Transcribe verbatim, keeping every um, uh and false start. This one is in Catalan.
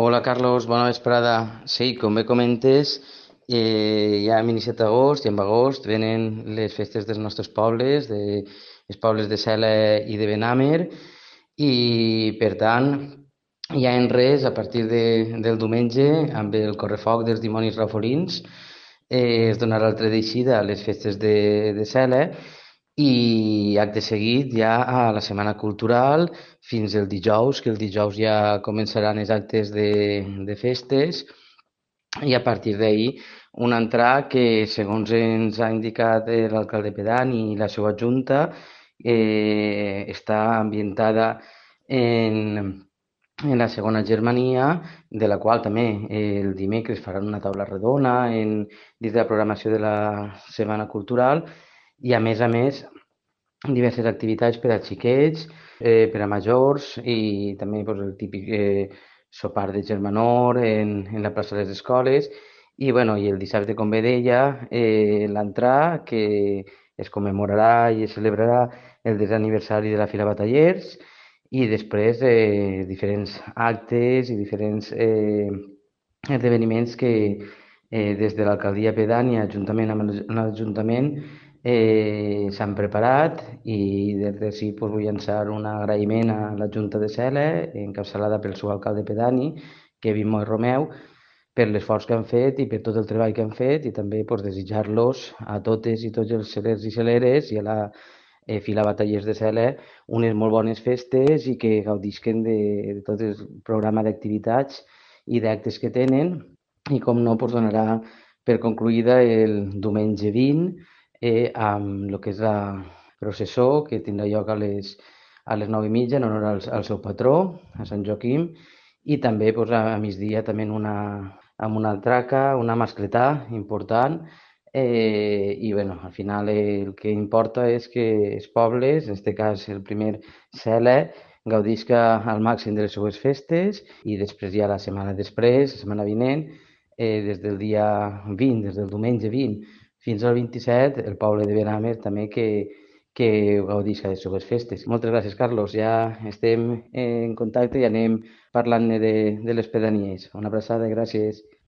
Hola Carlos, bona vesprada. Sí, com bé comentes, eh, ja hem iniciat agost i en agost venen les festes dels nostres pobles, de, els pobles de Sela i de Benàmer, i per tant, ja en res, a partir de, del diumenge, amb el correfoc dels dimonis rafolins, eh, es donarà l'altra d'eixida a les festes de, de Sela i acte seguit ja a la Setmana Cultural fins el dijous, que el dijous ja començaran els actes de, de festes i a partir d'ahir un entrar que, segons ens ha indicat eh, l'alcalde pedani i la seva junta, eh, està ambientada en, en la segona Germania, de la qual també eh, el dimecres faran una taula redona en, dins de la programació de la Setmana Cultural i, a més a més, diverses activitats per a xiquets, eh, per a majors i també pues, el típic eh, sopar de germanor en, en la plaça de les escoles i, bueno, i el dissabte, com bé deia, eh, l'entrà que es commemorarà i es celebrarà el desè aniversari de la Fira Batallers i després eh, diferents actes i diferents eh, esdeveniments que eh, des de l'alcaldia pedània, juntament amb l'Ajuntament, eh, s'han preparat i des d'ací pues, vull llançar un agraïment a la Junta de Sela, encapçalada pel seu alcalde pedani, Kevin Moy Romeu, per l'esforç que han fet i per tot el treball que han fet i també pues, desitjar-los a totes i tots els celers i celeres i a la eh, Fila Batallers de Sela unes molt bones festes i que gaudisquen de, de tot el programa d'activitats i d'actes que tenen i com no pues, donarà per concluïda el diumenge vint eh, amb el que és la processó que tindrà lloc a les, a les nou i mitja en honor al, al seu patró, a Sant Joaquim, i també pues, a, a migdia també en una, amb una traca, una mascletà important, eh, i bueno, al final eh, el que importa és que els pobles, en aquest cas el primer Sela, gaudisca al màxim de les seues festes i després ja la setmana després, la setmana vinent, eh, des del dia vint, des del diumenge vint fins al vint-i-set, el poble de Benàmer també que, que gaudisca de les seues festes. Moltes gràcies, Carlos. Ja estem en contacte i anem parlant de, de les pedanies. Una abraçada, gràcies.